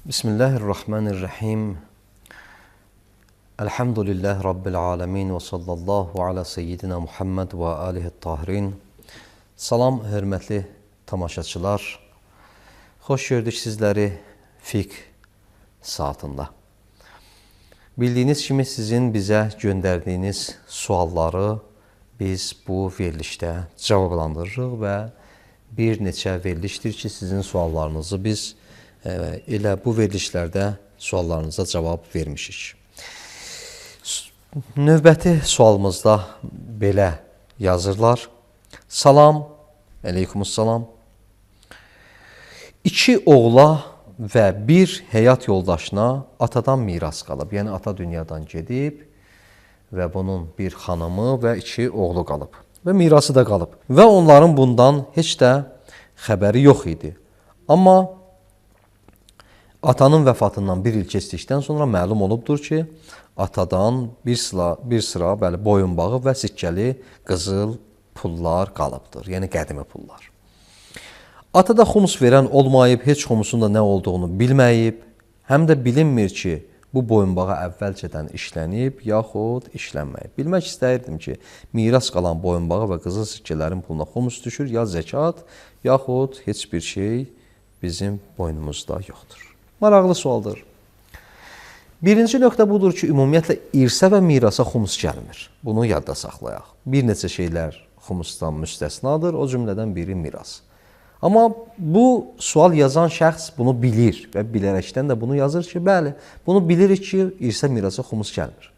Bismillahirrahmanirrahim. Elhamdülillah Rabbil alemin ve sallallahu ala seyyidina Muhammed ve alihi tahirin. Salam, hörmətli tamaşaçılar. Xoş gördük sizləri fiqh saatında. Bildiyiniz kimi sizin bizə göndərdiyiniz sualları biz bu verilişdə cavablandırırıq və bir neçə verilişdir ki, sizin suallarınızı biz elə bu verilişlərdə suallarınıza cavab vermişik. Növbəti sualımızda belə yazırlar. Salam, əleykumussalam. İki oğla və bir həyat yoldaşına atadan miras qalıb. Yəni, ata dünyadan gedib və bunun bir xanımı və iki oğlu qalıb. Və mirası da qalıb. Və onların bundan heç də xəbəri yox idi. Amma atanın vəfatından bir il keçdikdən sonra məlum olubdur ki, atadan bir sıra boyunbağı və sikkəli qızıl pullar qalıbdır. Yəni, qədimi pullar. Ata da xumus verən olmayıb, heç xumusun da nə olduğunu bilməyib, həm də bilinmir ki, bu boyunbağa əvvəlcədən işlənib, yaxud işlənməyib. Bilmək istəyirdim ki, miras qalan boyunbağı və qızıl sikkələrin puluna xumus düşür, ya zəkat, yaxud heç bir şey bizim boynumuzda yoxdur. Maraqlı sualdır. Birinci nöqtə budur ki, ümumiyyətlə irsə və mirasa xumus gəlmir. Bunu yadda saxlayaq. Bir neçə şeylər xumusdan müstəsnadır, o cümlədən biri miras. Amma bu sual yazan şəxs bunu bilir və bilərəkdən də bunu yazır ki, bəli, bunu bilirik ki, irsə mirasa xumus gəlmir.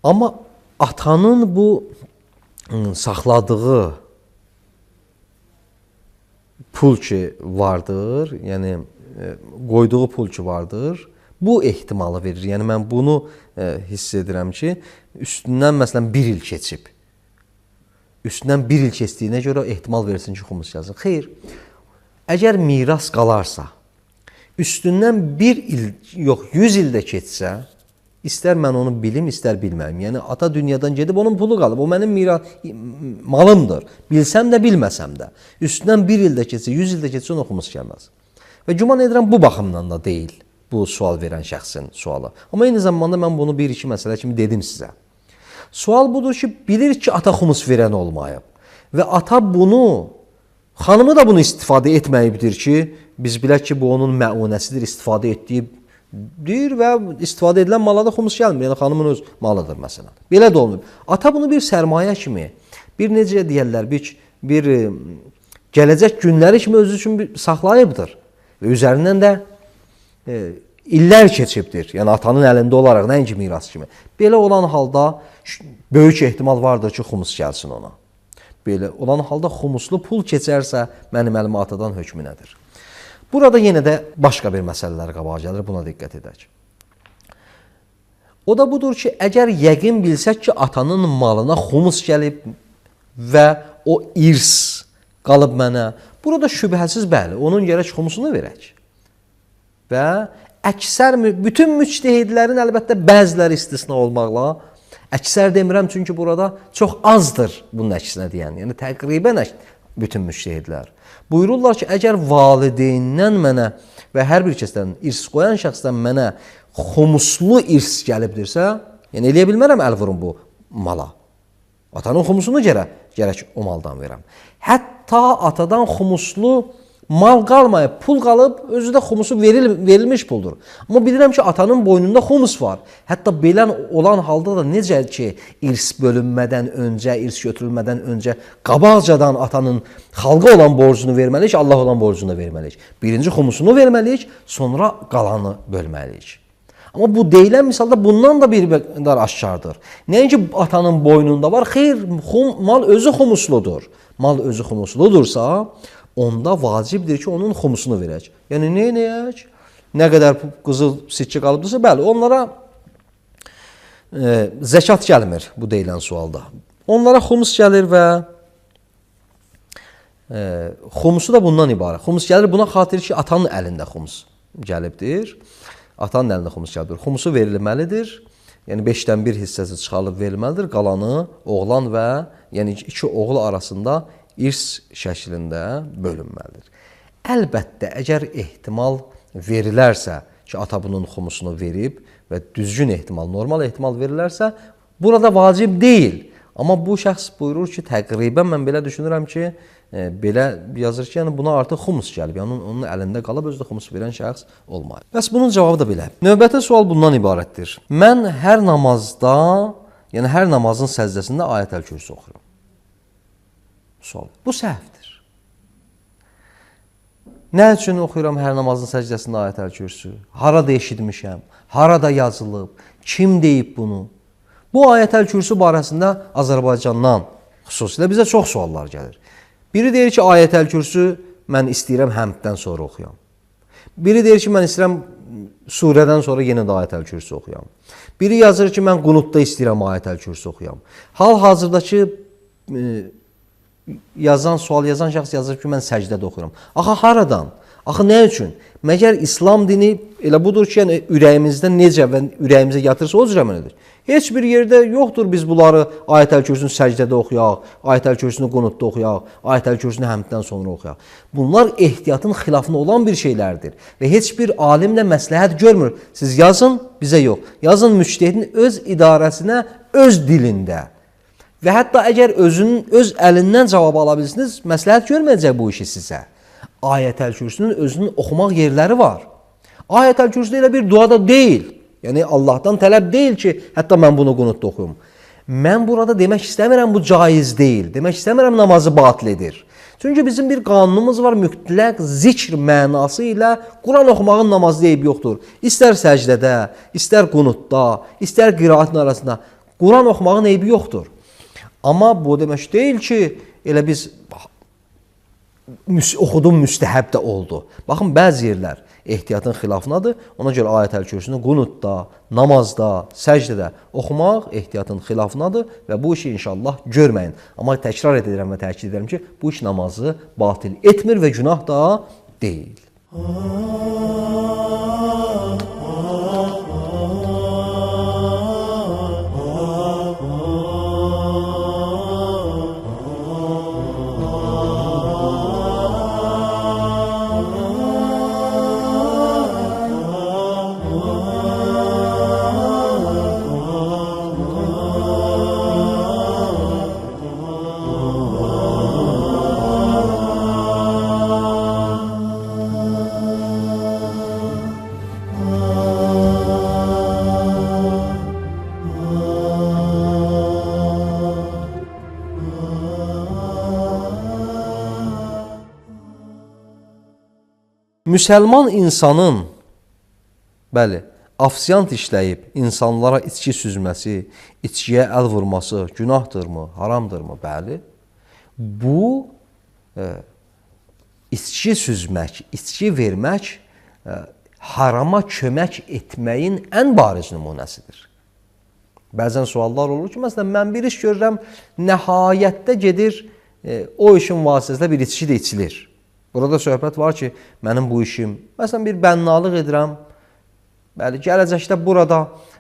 Amma atanın bu saxladığı pul ki vardır, yəni qoyduğu pul ki vardır, bu ehtimalı verir. Yəni mən bunu hiss edirəm ki, üstündən məsələn bir il keçib. Üstündən bir il keçdiyinə görə ehtimal versin ki, xumus yazın. Xeyr, əgər miras qalarsa, üstündən bir il, yox, 100 ildə keçsə, istər mən onu bilim, istər bilməyim. Yəni, ata dünyadan gedib, onun pulu qalıb. O mənim malımdır. Bilsəm də, bilməsəm də. Üstündən bir ildə keçsə, 100 ildə keçsə, ona xumus gəlməz. Və güman edirəm, bu baxımdan da deyil bu sual verən şəxsin sualı. Amma eyni zamanda mən bunu bir-iki məsələ kimi dedim sizə. Sual budur ki, bilir ki, ata xumus verən olmayıb. Və ata bunu, xanımı da bunu istifadə etməyibdir ki, biz bilək ki, bu onun məunəsidir, istifadə etdiyi deyir və istifadə edilən mala da xumus gəlmir. Yəni, xanımın öz malıdır, məsələn. Belə də olmayıb. Ata bunu bir sərmayə kimi, bir necə deyərlər, bir gələcək günləri kimi özü üçün saxlayıbdır. Və üzərindən də illər keçibdir. Yəni, atanın əlində olaraq, nəinki miras kimi. Belə olan halda böyük ehtimal vardır ki, xumus gəlsin ona. Belə olan halda xumuslu pul keçərsə, mənim əlimə atadan hökmü nədir? Burada yenə də başqa bir məsələlər qabağa gəlir, buna diqqət edək. O da budur ki, əgər yəqin bilsək ki, atanın malına xumus gəlib və o irs qalıb mənə, burada şübhəsiz bəli, onun gərək xumusunu verək. Və əksər, bütün müctehidlərin əlbəttə bəziləri istisna olmaqla, əksər demirəm çünki burada çox azdır bunun əksinə deyən, yəni təqribən bütün müctehidlər. Buyururlar ki, əgər valideyndən mənə və hər bir kəsdən irs qoyan şəxsdən mənə xumuslu irs gəlibdirsə, yəni eləyə bilmərəm əl vurum bu mala. Atanın xumusunu gərək o maldan verəm. Hətta atadan xumuslu mal qalmayıb, pul qalıb, özü də xumusu verilmiş puldur. Amma bilirəm ki, atanın boynunda xumus var. Hətta belə olan halda da necə ki, irs bölünmədən öncə, irs götürülmədən öncə qabaqcadan atanın xalqa olan borcunu verməliyik, Allah olan borcunu verməliyik. Birinci xumusunu verməliyik, sonra qalanı bölməliyik. Amma bu deyilən misalda bundan da bir qədər aşkardır. Nəinki atanın boynunda var, xeyr, mal özü xumusludur. Mal özü xumusludursa, onda vacibdir ki, onun xumusunu verək. Yəni, neyək? Nə qədər qızıl sikkə qalıbdırsa, bəli, onlara zəkat gəlmir bu deyilən sualda. Onlara xumus gəlir və xumusu da bundan ibarət. Xumus gəlir buna xatir ki, atanın əlində xumus gəlibdir. Atanın əlində xumus gəlibdir. Xumusu verilməlidir. Yəni 5-dən 1 hissəsi çıxarılıb verilməlidir. Qalanı oğlan və yəni iki oğul arasında irs şəklində bölünməlidir. Əlbəttə, əgər ehtimal verilərsə ki, ata bunun xumusunu verib və düzgün ehtimal, normal ehtimal verilərsə, burada vacib deyil. Amma bu şəxs buyurur ki, təqribən mən belə düşünürəm ki, belə yazır ki, yəni buna artıq xumus gəlib. Yəni onun əlində qalıb özü də xumus verən şəxs olmayıb. Bəs bunun cavabı da belə. Növbəti sual bundan ibarətdir. Mən hər namazda, yəni hər namazın səjdəsində Ayətəl-Kürsü oxuyuram. Sual. Bu səhvdir. Nə üçün oxuyuram hər namazın səcdəsində Ayətəl-Kürsü? Harada eşitmişəm? Harada yazılıb? Kim deyib bunu? Bu Ayətəl-Kürsü barəsində Azərbaycandan xüsusilə bizə çox suallar gəlir. Biri deyir ki, Ayətəl-Kürsü mən istəyirəm həmddən sonra oxuyam. Biri deyir ki, mən istəyirəm surədən sonra yenə də Ayətəl-Kürsü oxuyam. Biri yazır ki, mən qunutda istəyirəm Ayətəl-Kürsü oxuyam. Hal-hazırdakı sual yazan şəxs yazır ki, mən səcdədə oxuyuram. Axı haradan? Axı nə üçün? Məgər İslam dini elə budur ki, yəni ürəyimizdə necə və ürəyimizə yatırsa o cür əməl edir. Heç bir yerdə yoxdur biz bunları Ayətəl-Kürsünü səcdədə oxuyaq, Ayətəl-Kürsünü qunutda oxuyaq, Ayətəl-Kürsünü həmddən sonra oxuyaq. Bunlar ehtiyatın xilafına olan bir şeylərdir və heç bir alimlə məsləhət görmür. Siz yazın, bizə yox. Yazın müctəhidin öz idarəsinə, öz dilində. Və hətta əgər öz əlindən cavab ala bilirsiniz, məsləhət görməyəcək bu işi sizə. Ayətəl-Kürsünün özünün oxumaq yerləri var. Ayətəl-Kürsü elə bir dua da deyil. Yəni Allahdan tələb deyil ki, hətta mən bunu qunutda oxuyum. Mən burada demək istəmirəm bu caiz deyil. Demək istəmirəm namazı batil edir. Çünki bizim bir qanunumuz var, mütləq zikr mənası ilə Quran oxumağın namazı deyib yoxdur. İstər səcdədə, istər qunutda, istər qiraətin arasında Quran oxumağın eybi yoxdur. Amma bu demək deyil ki, elə biz oxudum müstəhəb də oldu. Baxın, bəzi yerlər ehtiyatın xilafınadır. Ona görə Ayətəl-Kürsünü qunutda, namazda, səcdədə oxumaq ehtiyatın xilafınadır və bu işi inşallah görməyin. Amma təkrar edirəm və təkid edirəm ki, bu iş namazı batil etmir və günah da deyil. Müsəlman insanın, bəli, afsiyant işləyib insanlara içki süzməsi, içkiyə əl vurması günahdırmı, haramdırmı? Bəli. Bu, içki süzmək, içki vermək harama kömək etməyin ən bariz nümunəsidir. Bəzən suallar olur ki, məsələn, mən bir iş görürəm, nəhayətdə gedir, o işin vasitəsilə bir içki də içilir. Burada söhbət var ki, mənim bu işim, məsələn, bir bənnalıq edirəm, bəli, gələcəkdə burada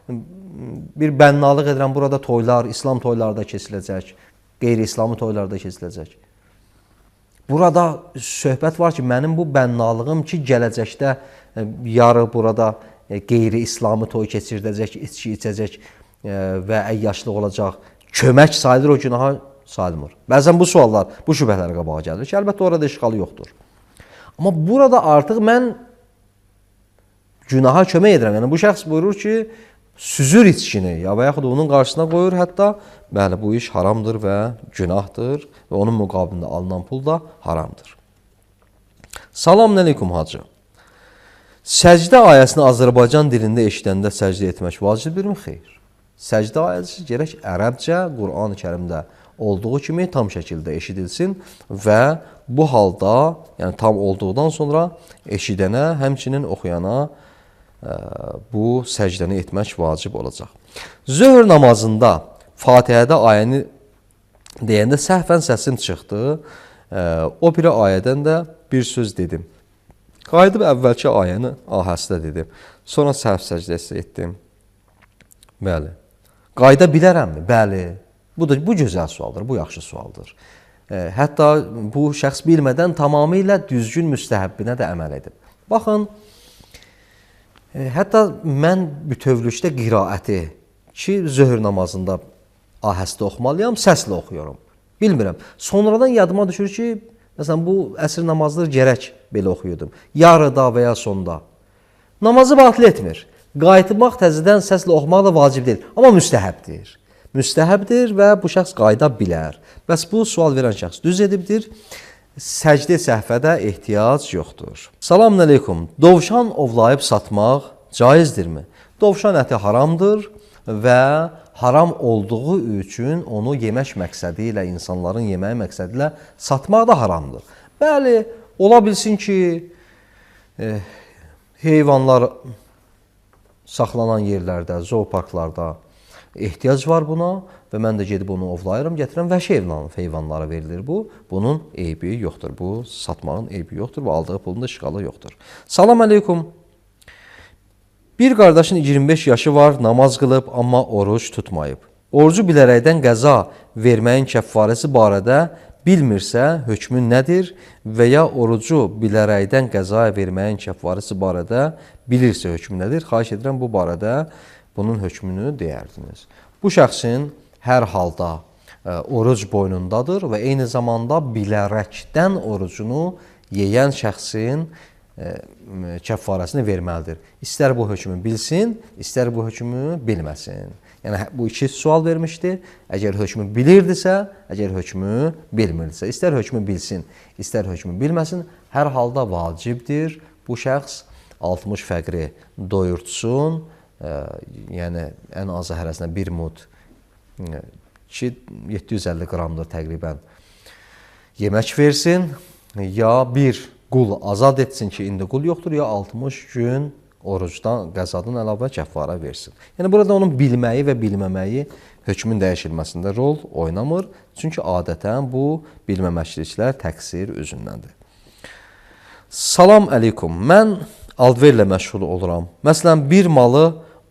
bir bənnalıq edirəm, burada toylar, İslam toylarda keçiləcək, qeyri-İslami toylarda keçiləcək. Burada söhbət var ki, mənim bu bənnalığım ki, gələcəkdə yarı burada qeyri-İslami toy keçirdəcək, içki içəcək və əyyaşlıq olacaq, kömək sayılır o günaha sayılmır. Bəzən bu suallar, bu şübhələr qabağa gəlir ki, əlbəttə orada işğalı yoxdur. Amma burada artıq mən günaha kömək edirəm. Yəni bu şəxs buyurur ki, süzür içkini ya və yaxud onun qarşısına qoyur, hətta bəli, bu iş haramdır və günahdır və onun müqabilində alınan pul da haramdır. Salam əleykum hacı. Səcdə ayəsini Azərbaycan dilində eşidəndə səcdə etmək vacibdirmi? Xeyr. Səcdə ayəsi gərək ərəbcə, Qur'an-ı Kərimdə olduğu kimi tam şəkildə eşidilsin və bu halda, yəni tam olduqdan sonra eşidənə, həmçinin oxuyana bu səcdəni etmək vacib olacaq. Zöhr namazında Fatihədə ayəni deyəndə səhvən səsim çıxdı. O biri ayədən də bir söz dedim. Qayıdıb əvvəlki ayəni ahəstə dedim. Sonra səhv səcdəsi etdim. Bəli. Qayıda bilərəmmi? Bəli. Bu gözəl sualdır, bu yaxşı sualdır. Hətta bu şəxs bilmədən tamamilə düzgün müstəhəbbinə də əməl edib. Baxın, hətta mən bütövlükdə qiraəti ki, zöhr namazında ahəstə oxumalıyam, səslə oxuyuram. Bilmirəm. Sonradan yadıma düşür ki, məsələn, bu əsr namazları gərək belə oxuyurdum. Yarıda və ya sonda. Namazı batil etmir. Qayıtmaq təzədən səslə oxumaq da vacib deyil. Amma müstəhəbdir. Müstəhəbdir və bu şəxs qayıda bilər. Bəs bu sual verən şəxs düz edibdir. Səcdə səhvə də ehtiyac yoxdur. Salamün əleykum. Dovşan ovlayıb satmaq caizdirmi? Dovşan əti haramdır və haram olduğu üçün onu yemək məqsədi ilə, insanların yeməyi məqsədi ilə satmaq da haramdır. Bəli, ola bilsin ki, heyvanlar saxlanan yerlərdə, zooparklarda ehtiyac var buna və mən də gedib onu ovlayıram, gətirəm, vəhşi heyvanlara verilir bu. Bunun eybi yoxdur, bu satmağın eybi yoxdur və aldığı pulun da işğalı yoxdur. Salam əleykum. Bir qardaşın 25 yaşı var, namaz qılıb, amma oruc tutmayıb. Orucu bilərəkdən qəza verməyin kəffarəsi barədə bilmirsə, hökmü nədir və ya orucu bilərəkdən qəza verməyin kəffarəsi barədə bilirsə, hökmü nədir? Xahiş edirəm, bu barədə bunun hökmünü deyərdiniz. Bu şəxsin hər halda oruc boynundadır və eyni zamanda bilərəkdən orucunu yeyən şəxsin kəffarəsini verməlidir. İstər bu hökmü bilsin, istər bu hökmü bilməsin. Yəni, bu iki sual vermişdi. Əgər hökmü bilirdisə, əgər hökmü bilmirdisə, istər hökmü bilsin, istər hökmü bilməsin, hər halda vacibdir. Bu şəxs 60 fəqri doyurtsun, yəni ən azı hərəsinə bir mud ki, 750 qramdır təqribən yemək versin, ya bir qul azad etsin ki, indi qul yoxdur, ya 60 gün orucdan, qəzadan əlavə kəffara versin. Yəni, burada onun bilməyi və bilməməyi hökmün dəyişilməsində rol oynamır. Çünki adətən bu bilməməkliklər təqsir üzündəndir. Salam əleykum. Mən alverlə məşğul oluram. Məsələn, bir malı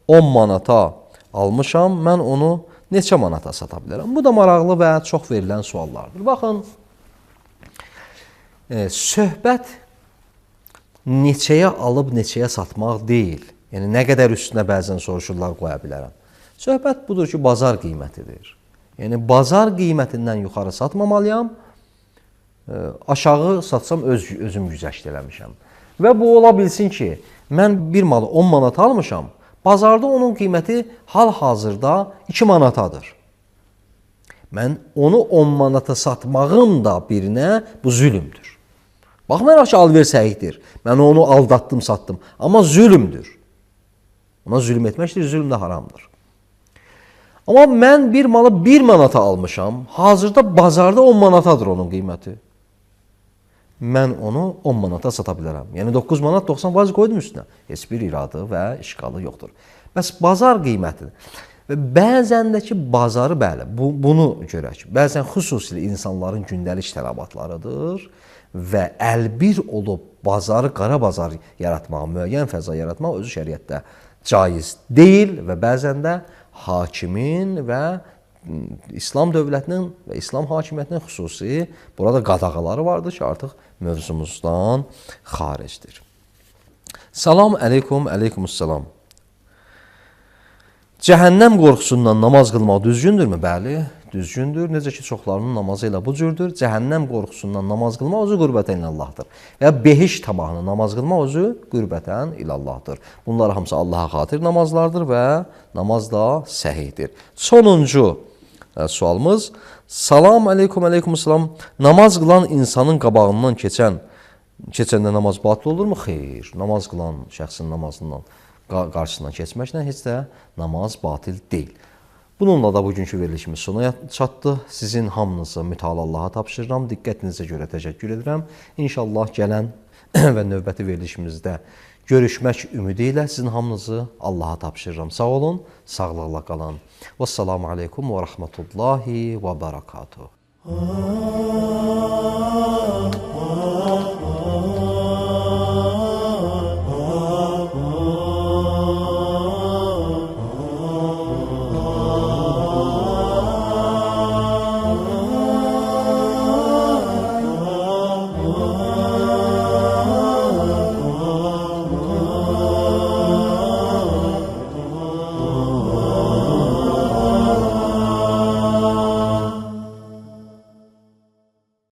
10 manata almışam, mən onu neçə manata sata bilərəm? Bu da maraqlı və çox verilən suallardır. Baxın, söhbət neçəyə alıb neçəyə satmaq deyil. Yəni, nə qədər üstünə bəzən soruşurlar, qoya bilərəm. Söhbət budur ki, bazar qiymətidir. Yəni, bazar qiymətindən yuxarı satmamalıyam, aşağı satsam özüm güzəşt eləmişəm. Və bu ola bilsin ki, mən bir malı 10 manata almışam, bazarda onun qiyməti hal-hazırda 2 manatadır. Mən onu 10 manata satmağım da birinə bu zülümdür. Baxmayaraq ki, alver səhihdir. Mən onu aldatdım, satdım. Amma zülümdür. Ona zülüm etməkdir, zülüm də haramdır. Amma mən bir malı 1 manata almışam, hazırda bazarda 10 manatadır onun qiyməti. Mən onu 10 manata sata bilərəm. Yəni 9 manat 90 faiz qoydum üstünə. Heç bir iradı və işğalı yoxdur. Bəs bazar qiymətidir. Və bəzən də ki, bazarı, bəli, bunu görək. Bəzən xüsusilə insanların gündəlik tələbatlarıdır və əlbir olub bazarı, qara bazar yaratmaq, müəyyən fəza yaratmaq özü şəriətdə caiz deyil və bəzən də hakimin və İslam dövlətinin və İslam hakimiyyətinin xüsusi burada qadağaları vardır ki, artıq mövzumuzdan xaricdir. Salam əleykum, əleykumussalam. Cəhənnəm qorxusundan namaz qılmaq düzgündürmü? Bəli, düzgündür. Necə ki, çoxlarının namazı ilə bu cürdür. Cəhənnəm qorxusundan namaz qılmaq özü qürbətən illallahdır. Və behiş tamahını namaz qılmaq özü qürbətən illallahdır. Bunlar hamısı Allaha xatir namazlardır və namaz da səhihdir. Sonuncu sualımız. Salam əleykum, əleykumussalam. Namaz qılan insanın qabağından keçəndə namaz batıl olurmu? Xeyr. Namaz qılan şəxsin namazından qarşısından keçməklə heç də namaz batil deyil. Bununla da bugünkü verilişimiz sona çatdı. Sizin hamınızı mütəala Allaha tapşırıram. Diqqətinizə görə təşəkkür edirəm. İnşallah gələn və növbəti verilişimizdə görüşmək ümidi ilə sizin hamınızı Allaha tapşırıram. Sağ olun, sağlıqla qalın. Vəssalamu aleykum və rəhmətullahi və bərəkatuhu.